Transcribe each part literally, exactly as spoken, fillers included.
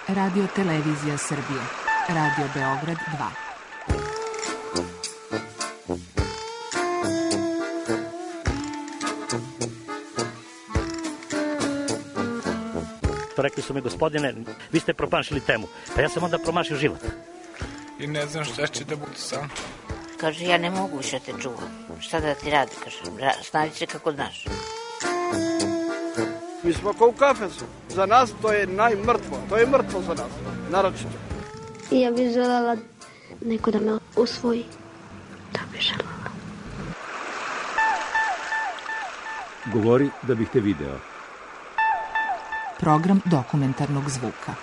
Radio Televizija Srbije. Radio Beograd dva. Rekli su mi, gospodine, vi ste promašili temu. Pa ja sam onda promašio život. I ne znam šta će da bude sam. Kaže, ja ne mogu više te čuvam. Šta da ti radi, kaže, snađi se kako znaš. Mi smo kao u kafesu. Za nas to je najmrtvo. To je mrtvo za nas, naročito. Ja bih želela neko da me usvoji. Da bih želela. Govori da bih te video. Program dokumentarnog zvuka.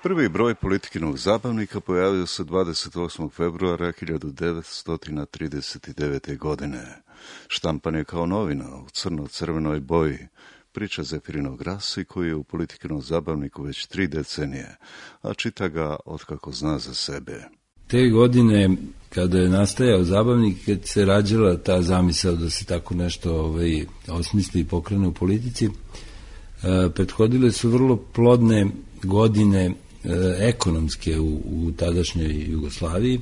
Prvi broj Politikinog zabavnika pojavio se dvadeset osmog februara hiljadu devetsto trideset devete. godine. Štampan je kao novina u crno-crvenoj boji, priča Zefirinog Rasi koji je u Politikinom zabavniku već tri decenije, a čita ga otkako zna za sebe. Te godine, kada je nastajao zabavnik, kad se rađala ta zamisao da se tako nešto ovaj, osmisli i pokrene u politici, e, prethodile su vrlo plodne godine e, ekonomske u, u tadašnjoj Jugoslaviji.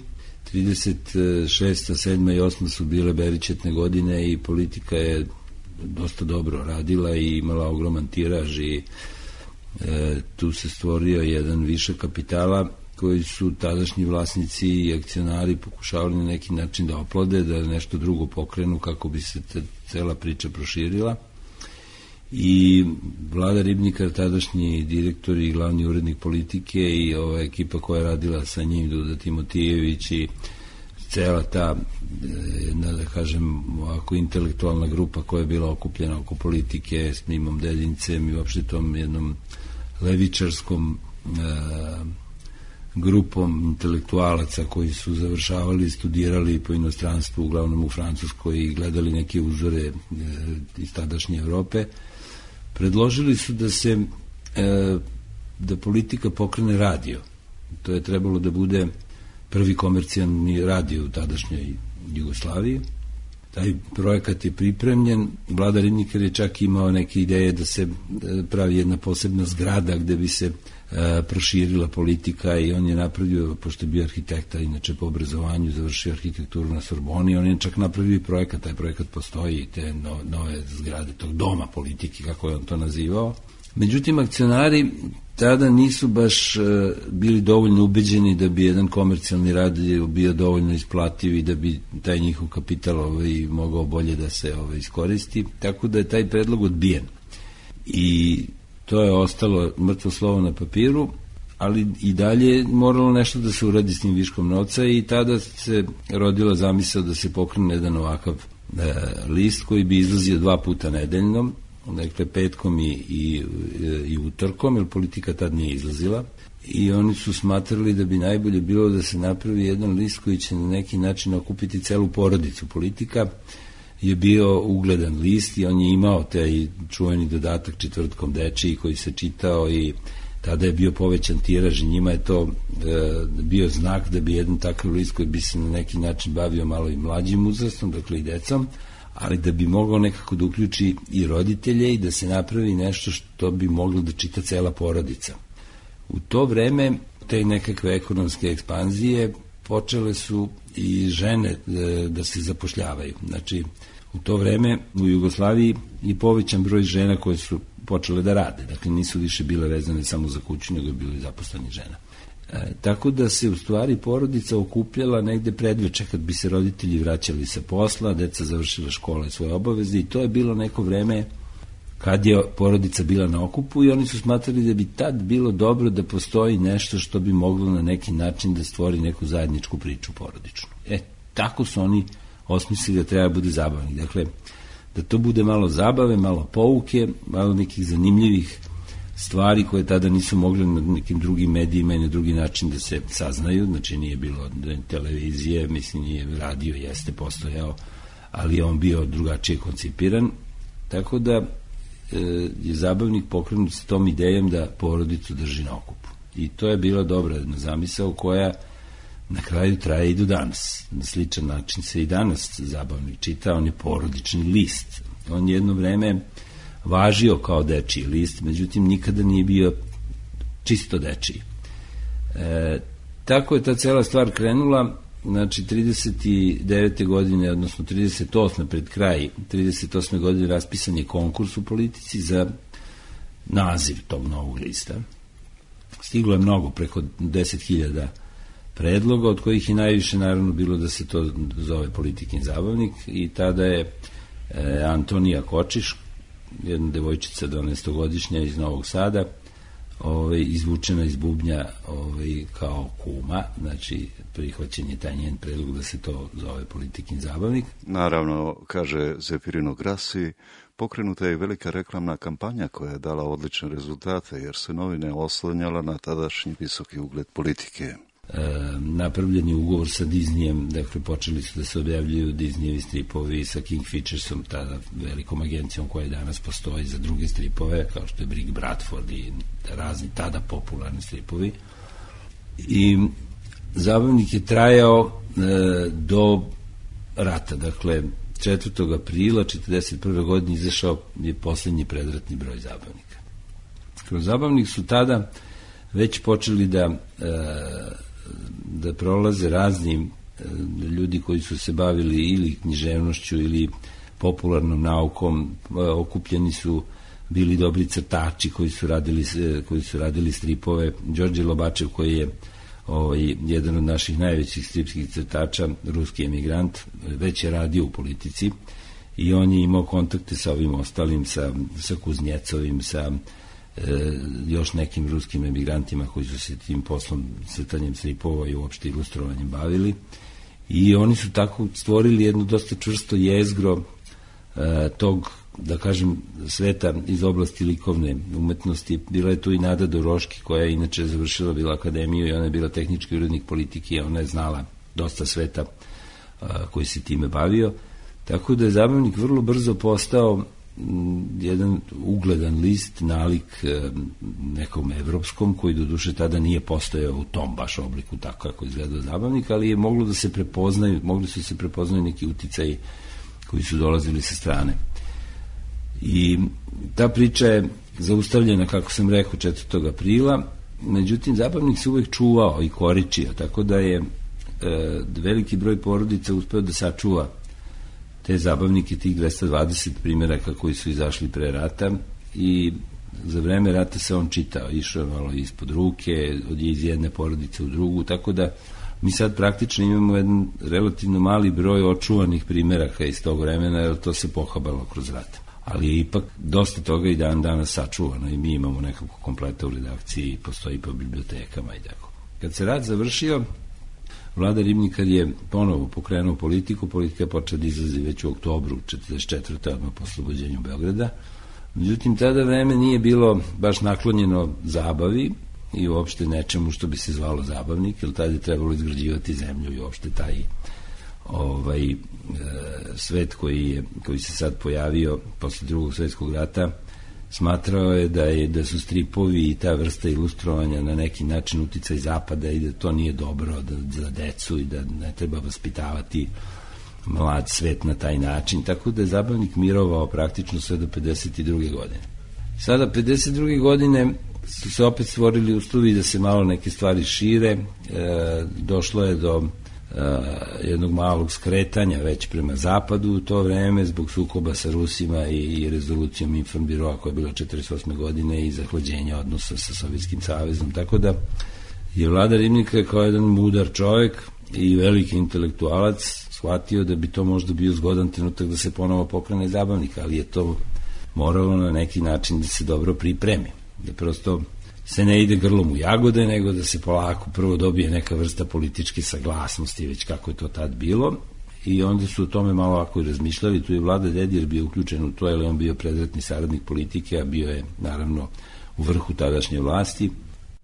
trideset šesta, sedma i osma su bile beričetne godine i politika je dosta dobro radila i imala ogroman tiraž i e, tu se stvorio jedan višak kapitala koji su tadašnji vlasnici i akcionari pokušavali na neki način da oplode, da nešto drugo pokrenu kako bi se te, cela priča proširila. I Vlada Ribnikar, tadašnji direktor i glavni urednik politike i ova ekipa koja je radila sa njim, Duda Timotijević i cela ta, jedna, da kažem, ovako intelektualna grupa koja je bila okupljena oko politike s Mimom Deljincem i uopšte tom jednom levičarskom e, grupom intelektualaca koji su završavali i studirali po inostranstvu, uglavnom u Francuskoj, i gledali neke uzore e, iz tadašnje Evrope, predložili su da se e, da politika pokrene radio. To je trebalo da bude prvi komercijalni radio u tadašnjoj Jugoslaviji. Taj projekat je pripremljen. Vlada Ribnikar je čak imao neke ideje da se pravi jedna posebna zgrada gde bi se e, proširila politika i on je napravio, pošto je bio arhitekta, inače po obrazovanju, završio arhitekturu na Sorboni, on je čak napravio i projekat, taj projekat postoji, te no, nove zgrade tog doma politike, kako je on to nazivao. Međutim, akcionari tada nisu baš uh, bili dovoljno ubeđeni da bi jedan komercijalni radio bio dovoljno isplativ i da bi taj njihov kapital ovaj, mogao bolje da se ovaj, iskoristi, tako da je taj predlog odbijen. I to je ostalo mrtvo slovo na papiru, ali i dalje moralo nešto da se uradi s tim viškom novca i tada se rodila zamisao da se pokrene jedan ovakav uh, list koji bi izlazio dva puta nedeljno, dakle petkom i, i, i utorkom, jer politika tad nije izlazila, i oni su smatrali da bi najbolje bilo da se napravi jedan list koji će na neki način okupiti celu porodicu. Politika je bio ugledan list i on je imao taj čuveni dodatak četvrtkom dečiji koji se čitao i tada je bio povećan tiraž i njima je to e, bio znak da bi jedan takav list koji bi se na neki način bavio malo i mlađim uzrastom, dakle i decom, ali da bi mogao nekako da uključi i roditelje i da se napravi nešto što bi moglo da čita cela porodica. U to vreme te nekakve ekonomske ekspanzije počele su i žene da se zapošljavaju. Znači, u to vreme u Jugoslaviji i povećan broj žena koje su počele da rade. Dakle, nisu više bile vezane samo za kuću, nego je bilo i zaposleni žena. E, tako da se u stvari porodica okupljala negde predveče kad bi se roditelji vraćali sa posla, deca završila škole i svoje obaveze i to je bilo neko vreme kad je porodica bila na okupu i oni su smatrali da bi tad bilo dobro da postoji nešto što bi moglo na neki način da stvori neku zajedničku priču porodičnu. E, tako su oni osmislili da treba bude zabavnik. Dakle, da to bude malo zabave, malo pouke, malo nekih zanimljivih stvari koje tada nisu mogle na nekim drugim medijima i na drugi način da se saznaju, znači nije bilo televizije, mislim nije radio, jeste postojao, ali je on bio drugačije koncipiran, tako da e, je zabavnik pokrenut s tom idejom da porodicu drži na okupu. I to je bila dobra jedna zamisao koja na kraju traje i do danas. Na sličan način se i danas zabavnik čita, on je porodični list. On jedno vreme važio kao dečiji list, međutim nikada nije bio čisto dečiji. E, tako je ta cela stvar krenula. Znači, trideset devete godine, odnosno trideset osme pred kraj, trideset osme godine raspisan je konkurs u Politici za naziv tog novog lista. Stiglo je mnogo, preko deset hiljada predloga, od kojih je najviše naravno bilo da se to zove Politikin zabavnik, i tada je e, Antonija Kočiš, jedna devojčica dvanaestogodišnja iz Novog Sada, Ovaj, izvučena iz bubnja ovaj, kao kuma, znači prihvaćen je taj njen predlog da se to zove Politikin zabavnik. Naravno, kaže Zefirino Grassi, pokrenuta je velika reklamna kampanja koja je dala odlične rezultate, jer se novine oslanjala na tadašnji visoki ugled Politike. E, napravljen je ugovor sa Disneyem, dakle počeli su da se objavljuju Disneyevi stripovi sa Kingfishersom, tada velikom agencijom koja danas postoji za druge stripove, kao što je Brig Bradford i razni tada popularni stripovi. I zabavnik je trajao e, do rata, dakle četvrtog aprila četrdeset prve godine izašao je poslednji predratni broj zabavnika. Kroz zabavnik su tada već počeli da e, da prolaze razni ljudi koji su se bavili ili književnošću ili popularnom naukom, okupljeni su bili dobri crtači koji su radili, koji su radili stripove. Đorđe Lobačev, koji je ovaj, jedan od naših najvećih stripskih crtača, ruski emigrant, već je radio u Politici i on je imao kontakte sa ovim ostalim, sa, sa Kuznjecovim, sa E, još nekim ruskim emigrantima koji su se tim poslom crtanjem stripova i uopšte ilustrovanjem bavili, i oni su tako stvorili jedno dosta čvrsto jezgro e, tog, da kažem, sveta iz oblasti likovne umetnosti. Bila je tu i Nada Doroški, koja je inače završila bila akademiju i ona je bila tehnički urednik Politike i ona je znala dosta sveta a, koji se time bavio, tako da je zabavnik vrlo brzo postao jedan ugledan list, nalik nekom evropskom, koji do duše tada nije postojao u tom baš obliku tako kako izgledao zabavnik, ali je moglo da se prepoznaju, mogli su se prepoznaju neki uticaji koji su dolazili sa strane. I ta priča je zaustavljena, kako sam rekao, četvrtog aprila, međutim zabavnik se uvek čuvao i koričio, tako da je e, veliki broj porodica uspeo da sačuva te zabavnike, tih dvesta dvadeset primjeraka koji su izašli pre rata, i za vreme rata se on čitao, išao malo ispod ruke, od iz jedne porodice u drugu, tako da mi sad praktično imamo jedan relativno mali broj očuvanih primjeraka iz tog vremena, jer to se pohabalo kroz rat. Ali je ipak dosta toga i dan danas sačuvano i mi imamo nekako kompleta u redakciji, postoji po bibliotekama i tako. Kad se rat završio, Vlada Ribnikar je ponovo pokrenuo Politiku, Politika je počela da izlazi već u oktobru četrdeset četvrte odmah po oslobođenju Beograda. Međutim, tada vreme nije bilo baš naklonjeno zabavi i uopšte nečemu što bi se zvalo zabavnik, jer tada je trebalo izgrađivati zemlju i uopšte taj ovaj, e, svet koji, je, koji se sad pojavio posle drugog svetskog rata, smatrao je da, je da su stripovi i ta vrsta ilustrovanja na neki način uticaj zapada i da to nije dobro da, za decu i da ne treba vaspitavati mlad svet na taj način, tako da je zabavnik mirovao praktično sve do pedeset druge godine. Sada pedeset druge godine su se opet stvorili uslovi da se malo neke stvari šire, e, došlo je do jednog malog skretanja već prema zapadu u to vreme zbog sukoba sa Rusima i, i rezolucijom Informbiroa koja je bila četrdeset osme godine i zahlađenja odnosa sa Sovjetskim savezom, tako da je Vlada Ribnikar kao jedan mudar čovjek i veliki intelektualac shvatio da bi to možda bio zgodan trenutak da se ponovo pokrene zabavnik, ali je to moralo na neki način da se dobro pripremi, da prosto se ne ide grlom u jagode, nego da se polako prvo dobije neka vrsta političke saglasnosti, već kako je to tad bilo, i onda su o tome malo ovako i razmišljali. Tu je Vlada Dedijer bio uključen u to, jer je on bio predratni saradnik Politike, a bio je naravno u vrhu tadašnje vlasti.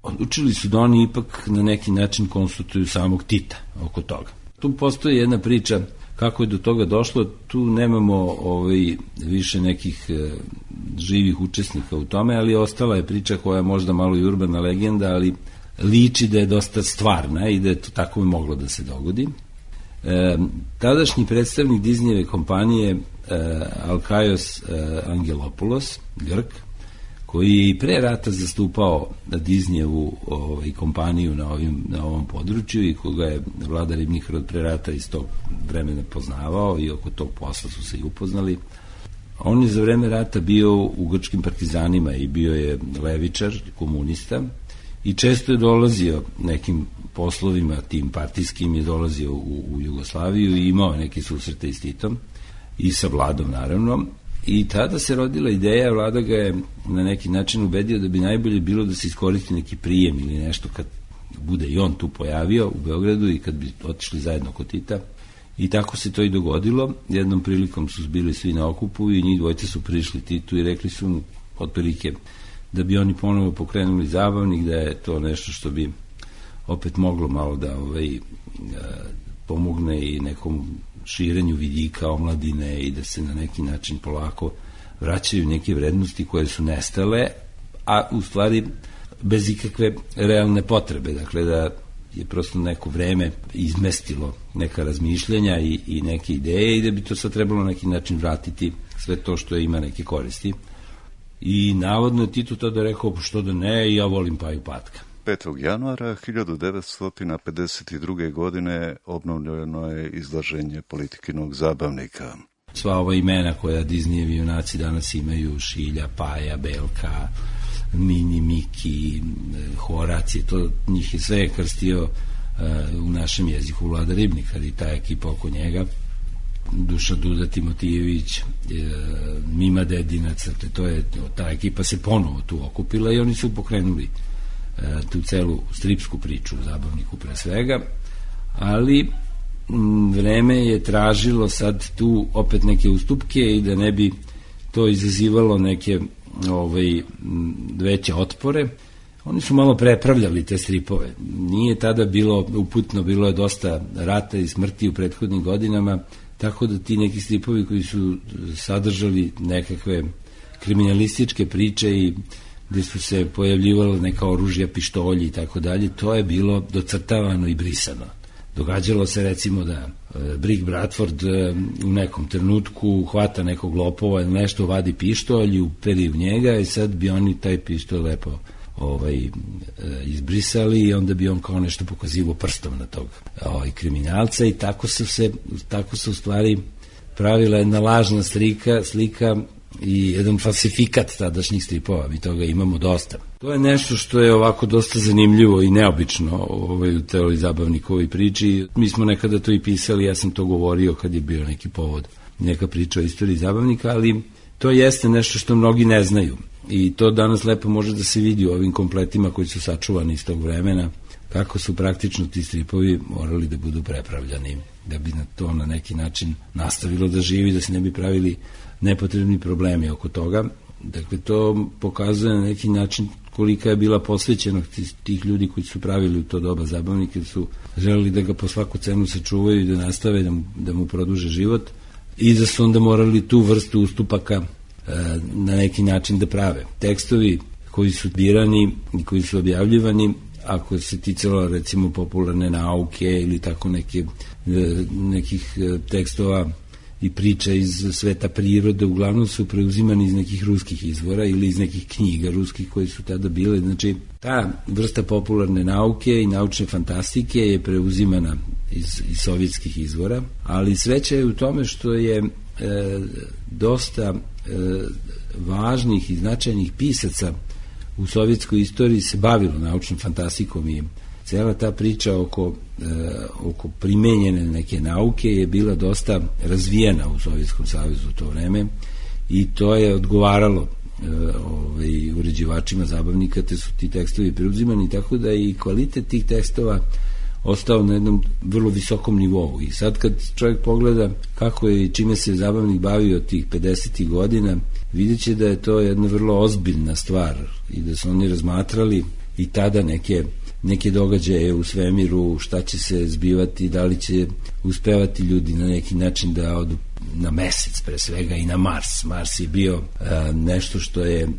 Odlučili su da oni ipak na neki način konsultuju samog Tita oko toga. Tu postoji jedna priča kako je do toga došlo, tu nemamo ovaj, više nekih e, živih učesnika u tome, ali ostala je priča koja je možda malo i urbana legenda, ali liči da je dosta stvarna i da je to tako moglo da se dogodi. E, tadašnji predstavnik Disneyjeve kompanije Alkaios Angelopoulos, Grk, koji je i pre rata zastupao Disneyevu ovaj, kompaniju na, ovim, na ovom području i koga je Vlada ribnih rod pre rata iz tog vremena poznavao i oko tog posla su se i upoznali. On je za vreme rata bio u grčkim partizanima i bio je levičar, komunista i često je dolazio nekim poslovima, tim partijskim je dolazio u, u Jugoslaviju i imao neke susrete s Titom i sa Vladom naravno. I tada se rodila ideja, Vlada ga je na neki način ubedio da bi najbolje bilo da se iskoristi neki prijem ili nešto kad bude i on tu pojavio u Beogradu i kad bi otišli zajedno kod Tita. I tako se to i dogodilo. Jednom prilikom su bili svi na okupu i njih dvojce su prišli Titu i rekli su mu otprilike da bi oni ponovo pokrenuli zabavnik, da je to nešto što bi opet moglo malo da ovaj, pomogne i nekom širenju vidika omladine i da se na neki način polako vraćaju neke vrednosti koje su nestale, a u stvari bez ikakve realne potrebe. Dakle, da je prosto neko vreme izmestilo neka razmišljenja i, i neke ideje i da bi to sad trebalo na neki način vratiti sve to što ima neke koristi. I navodno je Tito tada rekao, što da ne, i ja volim Paju Patka. petog januara hiljadu devetsto pedeset druge. godine obnovljeno je izlaženje Politikinog zabavnika. Sva ova imena koja Disneyevi junaci danas imaju, Šilja, Paja, Belka, Mini, Miki, Horacije, to njih je sve krstio uh, u našem jeziku Vlada Ribnikar i ta ekipa oko njega, Duša Duda Timotijević, uh, Mima Dedinac, to je, ta ekipa se ponovo tu okupila i oni su pokrenuli uh, tu celu stripsku priču u zabavniku pre svega, ali m, vreme je tražilo sad tu opet neke ustupke i da ne bi to izazivalo neke ovaj, veće otpore. Oni su malo prepravljali te stripove. Nije tada bilo uputno, bilo je dosta rata i smrti u prethodnim godinama, tako da ti neki stripovi koji su sadržali nekakve kriminalističke priče i gde su se pojavljivale neka oružja, pištolji i tako dalje, to je bilo docrtavano i brisano. Događalo se recimo da e, Brick Bradford e, u nekom trenutku hvata nekog lopova ili nešto, vadi pištolj i uperi u njega i sad bi oni taj pištolj lepo ovaj, e, izbrisali i onda bi on kao nešto pokazivo prstom na tog ovaj, kriminalca i tako su se, tako se u stvari pravila jedna lažna slika, slika i jedan falsifikat tadašnjih stripova, mi toga imamo dosta. To je nešto što je ovako dosta zanimljivo i neobično ovaj, u teoriji zabavnikovoj priči. Mi smo nekada to i pisali, ja sam to govorio kad je bio neki povod, neka priča o istoriji zabavnika, ali to jeste nešto što mnogi ne znaju i to danas lepo može da se vidi u ovim kompletima koji su sačuvani iz tog vremena, kako su praktično ti stripovi morali da budu prepravljani, da bi na to na neki način nastavilo da živi, da se ne bi pravili nepotrebni problemi oko toga. Dakle, to pokazuje na neki način kolika je bila posvećenost tih ljudi koji su pravili u to doba zabavnike, su želeli da ga po svaku cenu sačuvaju i da nastave da mu, da mu produže život i da su onda morali tu vrstu ustupaka e, na neki način da prave. Tekstovi koji su birani i koji su objavljivani, ako se ticalo recimo popularne nauke ili tako neke, nekih tekstova i priča iz sveta prirode, uglavnom su preuzimani iz nekih ruskih izvora ili iz nekih knjiga ruskih koji su tada bile. Znači, ta vrsta popularne nauke i naučne fantastike je preuzimana iz, iz sovjetskih izvora, ali sreća je u tome što je e, dosta e, važnih i značajnih pisaca u sovjetskoj istoriji se bavilo naučnom fantastikom i cela ta priča oko, e, oko primenjene neke nauke je bila dosta razvijena u Sovjetskom savezu u to vreme i to je odgovaralo e, ovaj, uređivačima zabavnika, te su ti tekstovi preuzimani, tako da i kvalitet tih tekstova ostao na jednom vrlo visokom nivou. I sad kad čovjek pogleda kako je i čime se zabavnik bavio tih pedesetih godina, vidjet će da je to jedna vrlo ozbiljna stvar i da su oni razmatrali i tada neke neke događaje u svemiru, šta će se zbivati, da li će uspevati ljudi na neki način da odu na mesec pre svega i na Mars. Mars je bio a, nešto što je a,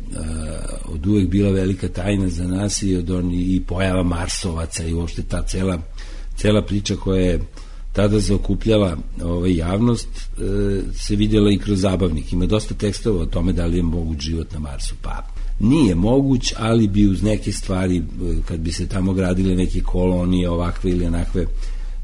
od uvek bila velika tajna za nas i, od on, i pojava Marsovaca i uopšte ta cela, cela priča koja je tada zaokupljala ovaj, javnost, e, se vidjela i kroz Zabavnik. Ima dosta tekstova o tome da li je moguć život na Marsu. Pa nije moguć, ali bi uz neke stvari, kad bi se tamo gradile neke kolonije ovakve ili onakve,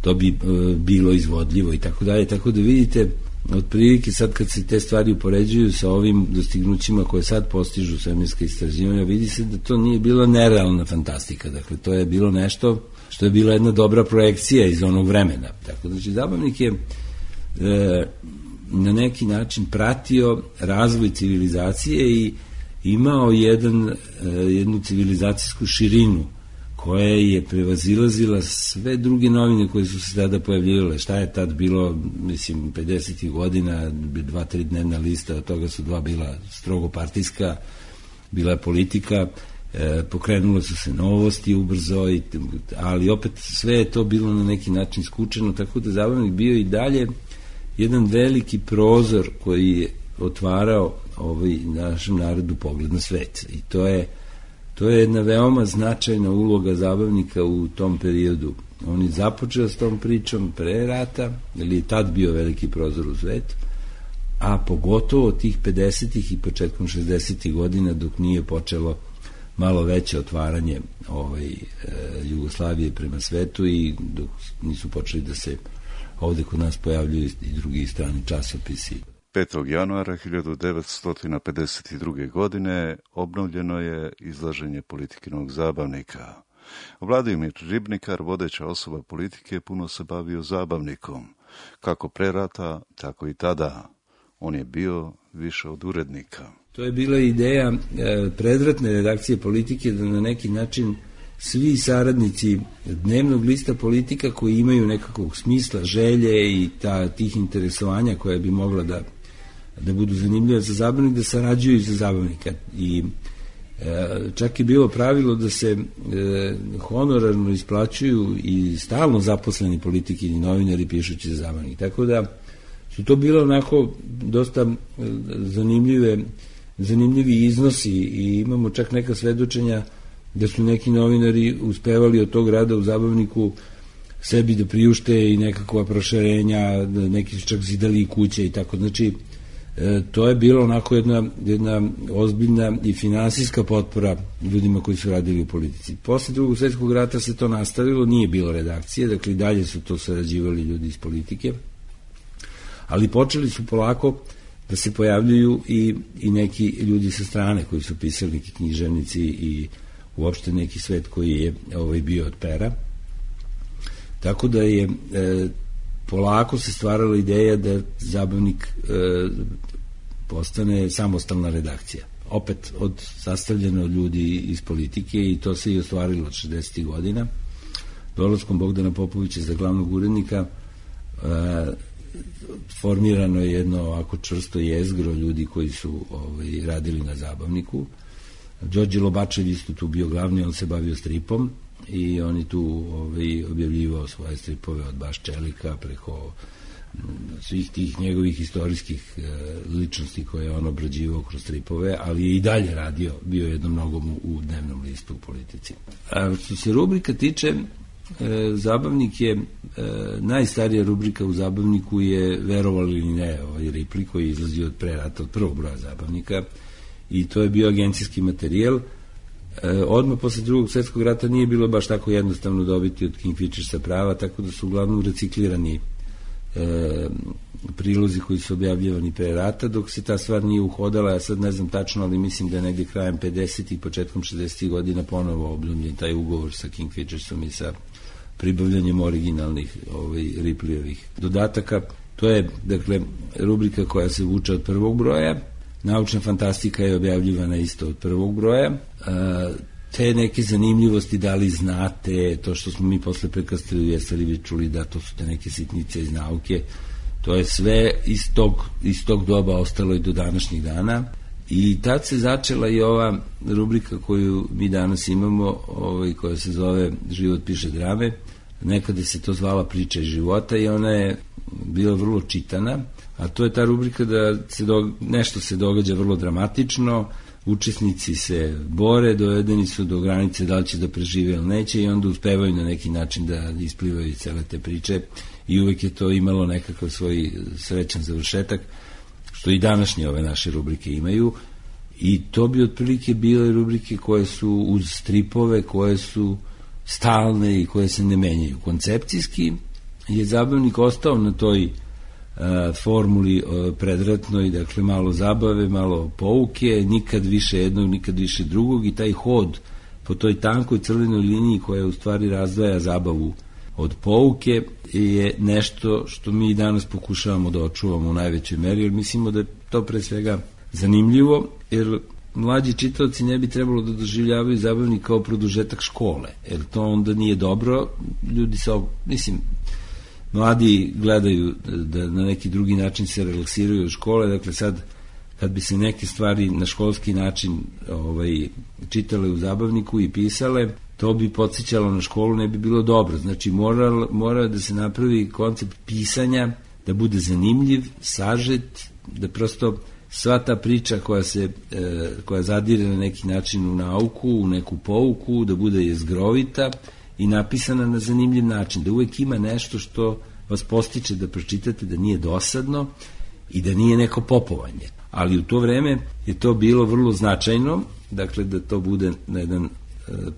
to bi e, bilo izvodljivo i tako dalje. Tako da vidite, otprilike sad kad se te stvari upoređuju sa ovim dostignućima koje sad postižu svemirska istraživanja, vidi se da to nije bila nerealna fantastika. Dakle, to je bilo nešto što je bila jedna dobra projekcija iz onog vremena. Tako da, znači, Zabavnik je e, na neki način pratio razvoj civilizacije i imao jedan, e, jednu civilizacijsku širinu koja je prevazilazila sve druge novine koje su se tada pojavljivale. Šta je tad bilo, mislim, pedesetih godina, dva, tri dnevna lista, od toga su dva bila strogo partijska, bila je politika, e, pokrenule su se novosti ubrzo, i, ali opet sve je to bilo na neki način skučeno, tako da Zabavnik bio i dalje jedan veliki prozor koji je otvarao ovaj, našem narodu pogled na svet. I to je To je jedna veoma značajna uloga Zabavnika u tom periodu. On je započeo s tom pričom pre rata, jer je tad bio veliki prozor u svet, a pogotovo tih pedesetih i početkom šezdesetih godina, dok nije počelo malo veće otvaranje ovaj, e, Jugoslavije prema svetu i dok nisu počeli da se ovde kod nas pojavljuju i drugi strani časopisi. petog januara hiljadu devetsto pedeset druge. godine obnovljeno je izlaženje Politikinog Zabavnika. Vladimir Ribnikar, vodeća osoba politike, puno se bavio Zabavnikom. Kako pre rata, tako i tada. On je bio više od urednika. To je bila ideja e, predratne redakcije Politike, da na neki način svi saradnici dnevnog lista Politika koji imaju nekakvog smisla, želje i ta, tih interesovanja koja bi mogla da da budu zanimljive za Zabavnik, da sarađuju za Zabavnika. I e, čak je bilo pravilo da se e, honorarno isplaćuju i stalno zaposleni politiki i novinari pišući za Zabavnik. Tako da su to bilo onako dosta zanimljive, zanimljivi iznosi i imamo čak neka svedočenja da su neki novinari uspevali od tog rada u Zabavniku sebi da priušte i nekakva proširenja, neki su čak zidali i kuće i tako. Znači, E, to je bilo onako jedna, jedna ozbiljna i finansijska potpora ljudima koji su radili u politici. Posle drugog svjetskog rata se to nastavilo, nije bilo redakcije, dakle i dalje su to sarađivali ljudi iz politike, ali počeli su polako da se pojavljuju i, i neki ljudi sa strane koji su pisali, neki književnici i uopšte neki svet koji je ovaj, bio od pera. Tako da je e, polako se stvarala ideja da Zabavnik e, postane samostalna redakcija. Opet od sastavljena od ljudi iz politike i to se i ostvarilo od šezdesetih godina. Dolaskom Bogdana Popovića za glavnog urednika e, formirano je jedno ovako čvrsto jezgro ljudi koji su ovaj, radili na Zabavniku. Đorđe Lobačev isto tu bio glavni, on se bavio stripom i on je tu ovaj, objavljivao svoje stripove od Baš Čelika preko svih tih njegovih istorijskih e, ličnosti koje je on obrađivao kroz stripove, ali je i dalje radio, bio jednom mnogom u, u dnevnom listu u Politici. A što se rubrika tiče, e, Zabavnik je, e, najstarija rubrika u Zabavniku je, verovali ili ne, ovaj Ripley koji izlazi od pre rata, od prvog broja Zabavnika, i to je bio agencijski materijal. E, odmah posle drugog svjetskog rata nije bilo baš tako jednostavno dobiti od Kingfishersa prava, tako da su uglavnom reciklirani e, prilozi koji su objavljivani pre rata, dok se ta stvar nije uhodala. Ja sad ne znam tačno, ali mislim da je negdje krajem pedesetih i početkom šezdesetih godina ponovo obljavljen taj ugovor sa Kingfishersom i sa pribavljanjem originalnih ovaj, Ripleyovih dodataka. To je, dakle, rubrika koja se vuče od prvog broja. Naučna fantastika je objavljivana isto od prvog broja. Te neke zanimljivosti, da li znate, to što smo mi posle prekrstili, jeste li vi čuli da to su te neke sitnice iz nauke, to je sve iz tog, iz tog doba ostalo i do današnjih dana. I tad se začela i ova rubrika koju mi danas imamo, ovaj, koja se zove Život piše drame. Nekada se to zvala Priča iz života i ona je bila vrlo čitana, a to je ta rubrika da se do, nešto se događa vrlo dramatično, učesnici se bore, dovedeni su do granice da li će da prežive ili neće i onda uspevaju na neki način da isplivaju iz cele te priče i uvek je to imalo nekakav svoj srećan završetak, što i današnje ove naše rubrike imaju. I to bi otprilike bile rubrike koje su uz stripove, koje su stalne i koje se ne menjaju. Koncepcijski je Zabavnik ostao na toj a, formuli a, predratnoj, dakle malo zabave, malo pouke, nikad više jednog, nikad više drugog, i taj hod po toj tankoj crvenoj liniji koja u stvari razdvaja zabavu od pouke je nešto što mi danas pokušavamo da očuvamo u najvećoj meri, jer mislimo da je to pre svega zanimljivo, jer mlađi čitaoci ne bi trebalo da doživljavaju Zabavnik kao produžetak škole, jer to onda nije dobro. Ljudi se, mislim, mladi gledaju da na neki drugi način se relaksiraju od škole, dakle sad kad bi se neke stvari na školski način ovaj, čitale u Zabavniku i pisale, to bi podsjećalo na školu, ne bi bilo dobro. Znači mora, mora da se napravi koncept pisanja, da bude zanimljiv, sažet, da prosto sva ta priča koja se e, koja zadire na neki način u nauku, u neku pouku, da bude jezgrovita i napisana na zanimljiv način, da uvek ima nešto što vas postiče da pročitate, da nije dosadno i da nije neko popovanje. Ali u to vreme je to bilo vrlo značajno, dakle da to bude na jedan e,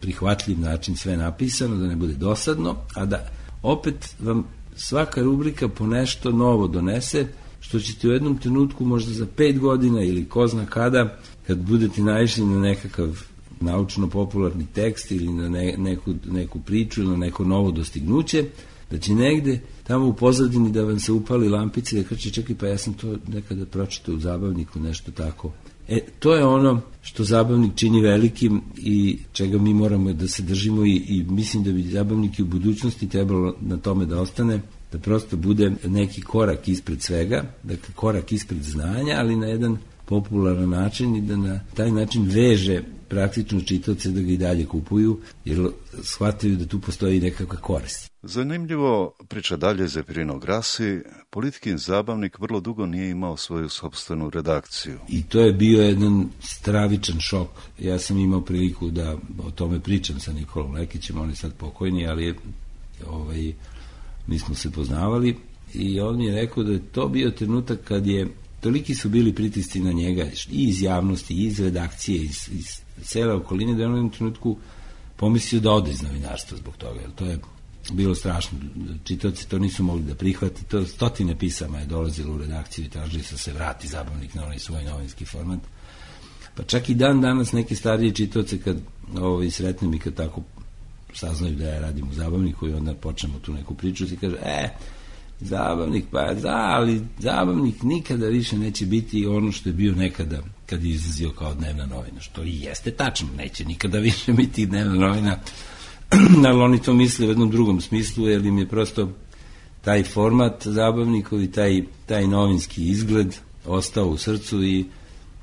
prihvatljiv način sve napisano, da ne bude dosadno, a da opet vam svaka rubrika po nešto novo donese, što ćete u jednom trenutku možda za pet godina ili ko zna kada, kad budete naišli na nekakav naučno-popularni tekst ili na ne, neku, neku priču ili na neko novo dostignuće, da će negde tamo u pozadini da vam se upali lampice i da kaže čekaj, pa ja sam to nekada pročitao u Zabavniku, nešto tako. E, to je ono što Zabavnik čini velikim i čega mi moramo da se držimo i, i mislim da bi Zabavnik i u budućnosti trebalo na tome da ostane, da prosto bude neki korak ispred svega, dakle korak ispred znanja, ali na jedan popularan način i da na taj način veže praktično čitaoce da ga i dalje kupuju, jer shvataju da tu postoji nekakva korist. Zanimljivo, priča dalje Zepirino Grasi, Politikin Zabavnik vrlo dugo nije imao svoju sopstvenu redakciju. I to je bio jedan stravičan šok. Ja sam imao priliku da o tome pričam sa Nikolom Lekićem, on je sad pokojni, ali je, ovaj, mi smo se poznavali i on mi je rekao da je to bio trenutak kad je, toliki su bili pritisci na njega i iz javnosti, i iz redakcije, iz, iz cele okoline, da je on u jednom trenutku pomislio da ode iz novinarstva zbog toga, jer to je bilo strašno. Čitaoci to nisu mogli da prihvati, to stotine pisama je dolazilo u redakciju i tražili su se vrati Zabavnik na onaj svoj novinski format. Pa čak i dan danas neke starije čitaoce kad ovaj, sretnem i kad tako saznaju da ja radim u Zabavniku i onda počnemo tu neku priču i kaže, e, Zabavnik, pa da, ali Zabavnik nikada više neće biti ono što je bio nekada kad je izlazio kao dnevna novina, što i jeste tačno, neće nikada više biti dnevna novina, ali oni to misle u jednom drugom smislu, jer im je prosto taj format Zabavnikov i taj, taj novinski izgled ostao u srcu i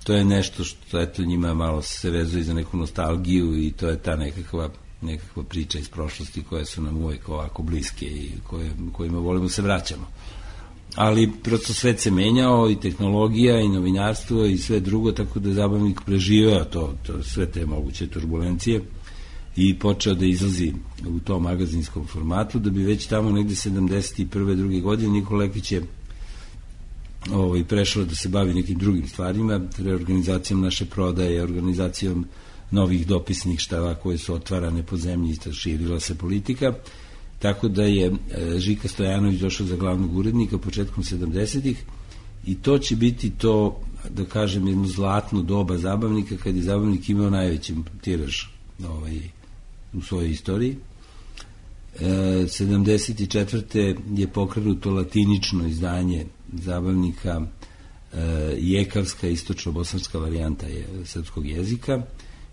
to je nešto što eto njima malo se vezuje za neku nostalgiju i to je ta nekakva nekakva priča iz prošlosti koje su nam uvijek ovako bliske i koje, kojima volimo se vraćamo. Ali prosto svet se menjao i tehnologija i novinarstvo i sve drugo, tako da je Zabavnik preživeo to, to, sve te moguće turbulencije i počeo da izlazi u tom magazinskom formatu, da bi već tamo negde sedamdeset prve druge godine Nikola Lekić je ovaj, prešao da se bavi nekim drugim stvarima, reorganizacijom naše prodaje, organizacijom novih dopisnih štava koje su otvarane po zemlji i širila se politika, tako da je Žika Stojanović došao za glavnog urednika početkom sedamdesetih i to će biti to, da kažem, jedno zlatno doba Zabavnika, kad je Zabavnik imao najveći tiraž ovaj, u svojoj istoriji. E, sedamdeset četvrte je pokrenuto latinično izdanje Zabavnika, e, jekavska istočno-bosanska varijanta je srpskog jezika,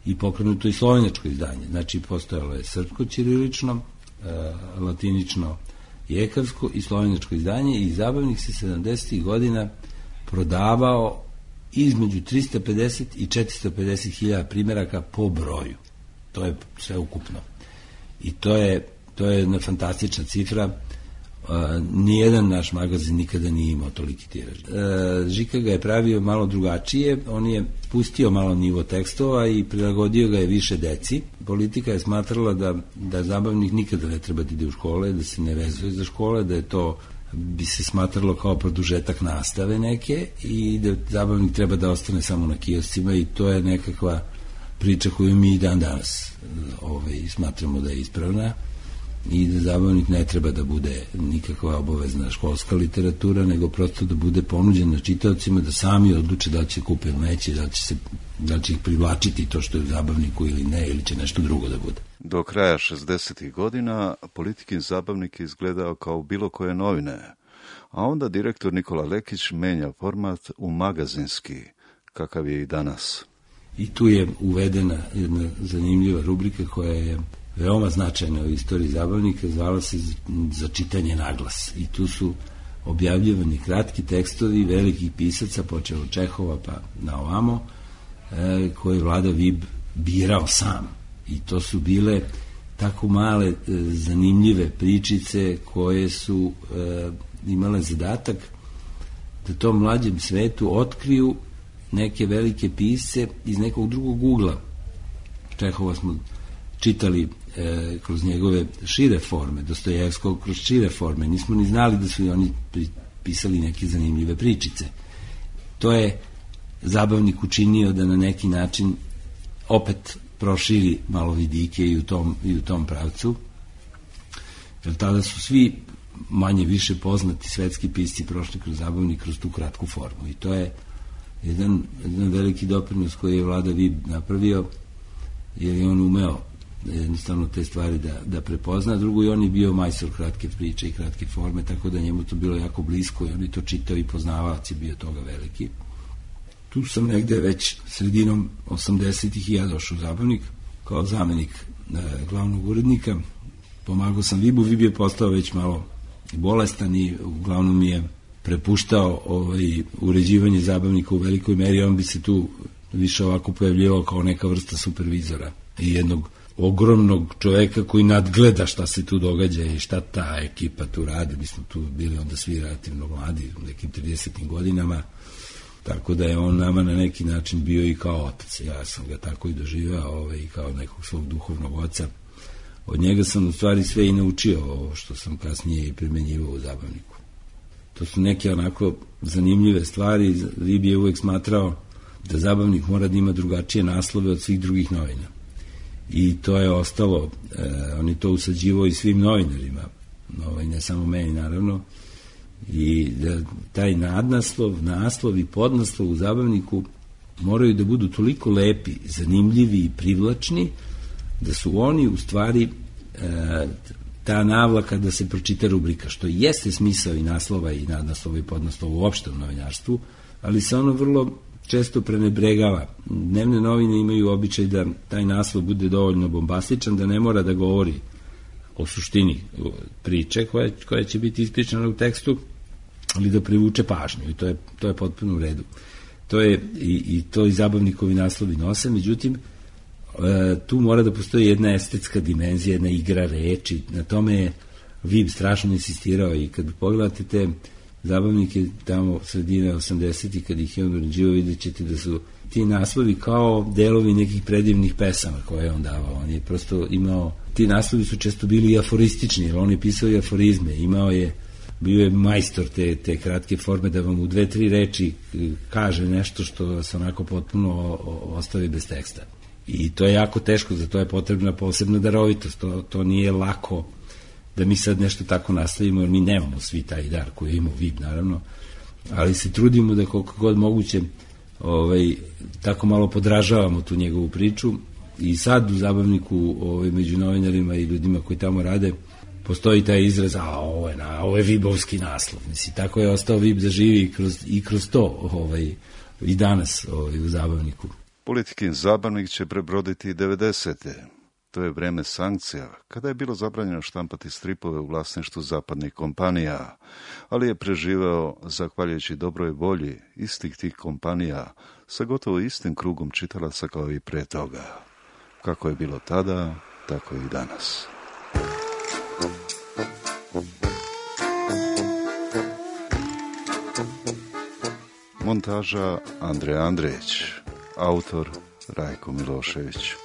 i pokrenuto i slovenačko izdanje. Znači, postojalo je srpsko ćirilično, e, latinično jekavsko i slovenačko izdanje i Zabavnik se sedamdesetih godina prodavao između trista pedeset i četiristo pedeset hiljada primjeraka po broju. To je sve ukupno. I to je, to je jedna fantastična cifra. nijedan naš magazin nikada nije imao toliki tiraž. Žika ga je pravio malo drugačije, on je pustio malo nivo tekstova i prilagodio ga je više deci. Politika je smatrala da, da zabavnik nikada ne treba da ide u škole, da se ne vezuje za škole, da je to bi se smatralo kao produžetak nastave neke i da zabavnik treba da ostane samo na kioscima i to je nekakva priča koju mi dan danas ovaj, smatramo da je ispravna i da zabavnik ne treba da bude nikakva obavezna školska literatura, nego prosto da bude ponuđena čitaocima da sami odluče da će kupe ili neće, da će, se, da će ih privlačiti to što je u zabavniku ili ne, ili će nešto drugo da bude. Do kraja šezdesetih godina Politikin zabavnik je izgledao kao bilo koje novine, a onda direktor Nikola Lekić menja format u magazinski, kakav je i danas. I tu je uvedena jedna zanimljiva rubrika koja je veoma značajna u istoriji zabavnika, zvala se Za čitanje naglas. I tu su objavljivani kratki tekstovi velikih pisaca, počeo od Čehova pa na ovamo, e, koje je Vlada Vib birao sam. I to su bile tako male, e, zanimljive pričice koje su e, imale zadatak da tom mlađem svetu otkriju neke velike pisce iz nekog drugog ugla. Čehova smo čitali e, kroz njegove šire forme, Dostojevskog kroz šire forme, nismo ni znali da su i oni pisali neke zanimljive pričice. To je zabavnik učinio da na neki način opet proširi malo vidike i u tom, i u tom pravcu, jer tada su svi manje više poznati svetski pisci prošli kroz zabavnik, kroz tu kratku formu i to je jedan, jedan veliki doprinos koji je Vlada Vib napravio, jer je on umeo jednostavno te stvari da, da prepozna. Drugo, i on je bio majstor kratke priče i kratke forme, tako da njemu to bilo jako blisko i on je to čitao i poznavac je bio toga veliki. Tu sam negde već sredinom osamdesetih i ja došao u zabavnik kao zamenik e, glavnog urednika. Pomagao sam Vibu, Vib je postao već malo bolestan i uglavnom mi je prepuštao ovaj, uređivanje zabavnika u velikoj meri, on bi se tu više ovako pojavljivao kao neka vrsta supervizora i jednog ogromnog čoveka koji nadgleda šta se tu događa i šta ta ekipa tu radi. Mi smo tu bili onda svi relativno mladi, u nekim tridesetim godinama, tako da je on nama na neki način bio i kao otac. Ja sam ga tako i doživao, ovaj, kao nekog svog duhovnog oca. Od njega sam u stvari sve i naučio ovo što sam kasnije i primenjivao u zabavniku. To su neke onako zanimljive stvari. Vib je uvek smatrao da zabavnik mora da ima drugačije naslove od svih drugih novina. I to je ostalo, e, on je to usađivao i svim novinarima, ovaj, ne samo meni naravno, i da taj nadnaslov, naslov i podnaslov u zabavniku moraju da budu toliko lepi, zanimljivi i privlačni, da su oni u stvari e, ta navlaka da se pročita rubrika, što jeste smisao i naslova i nadnaslova i podnaslova uopšte u novinarstvu, ali se ono vrlo često prenebregava. Dnevne novine imaju običaj da taj naslov bude dovoljno bombastičan, da ne mora da govori o suštini priče koja, koja će biti ispričana u tekstu, ali da privuče pažnju i to je, to je potpuno u redu. To je i, i to i zabavnikovi naslovi nose, međutim e, tu mora da postoji jedna estetska dimenzija, jedna igra reči, na tome je Vib strašno insistirao i kad pogledate te zabavnike tamo sredine osamdesetih kad ih je on uređivao, vidjet ćete da su ti naslovi kao delovi nekih predivnih pesama koje je on davao. On je prosto imao, ti naslovi su često bili aforistični, jer on je pisao i aforizme, imao je, bio je majstor te, te kratke forme da vam u dve, tri reči kaže nešto što se onako potpuno ostavi bez teksta. I to je jako teško, za to je potrebna posebna darovitost, to, to nije lako da mi sad nešto tako nastavimo, jer mi nemamo svi taj dar koji imamo Vib, naravno, ali se trudimo da koliko god moguće ovaj, tako malo podražavamo tu njegovu priču i sad u zabavniku ovaj, među novinarima i ljudima koji tamo rade postoji taj izraz, a ovo je, na, ovo je Vibovski naslov. Mislim, tako je ostao Vib da živi kroz, i kroz to ovaj, i danas ovaj, u zabavniku. Politikin zabavnik će prebroditi devedesete. To je vreme sankcija, kada je bilo zabranjeno štampati stripove u vlasništvu zapadnih kompanija, ali je preživeo zahvaljujući dobroj volji istih tih kompanija sa gotovo istim krugom čitalaca kao i pre toga. Kako je bilo tada, tako i danas. Montaža Andrej Andrejić. Autor Rajko Milošević.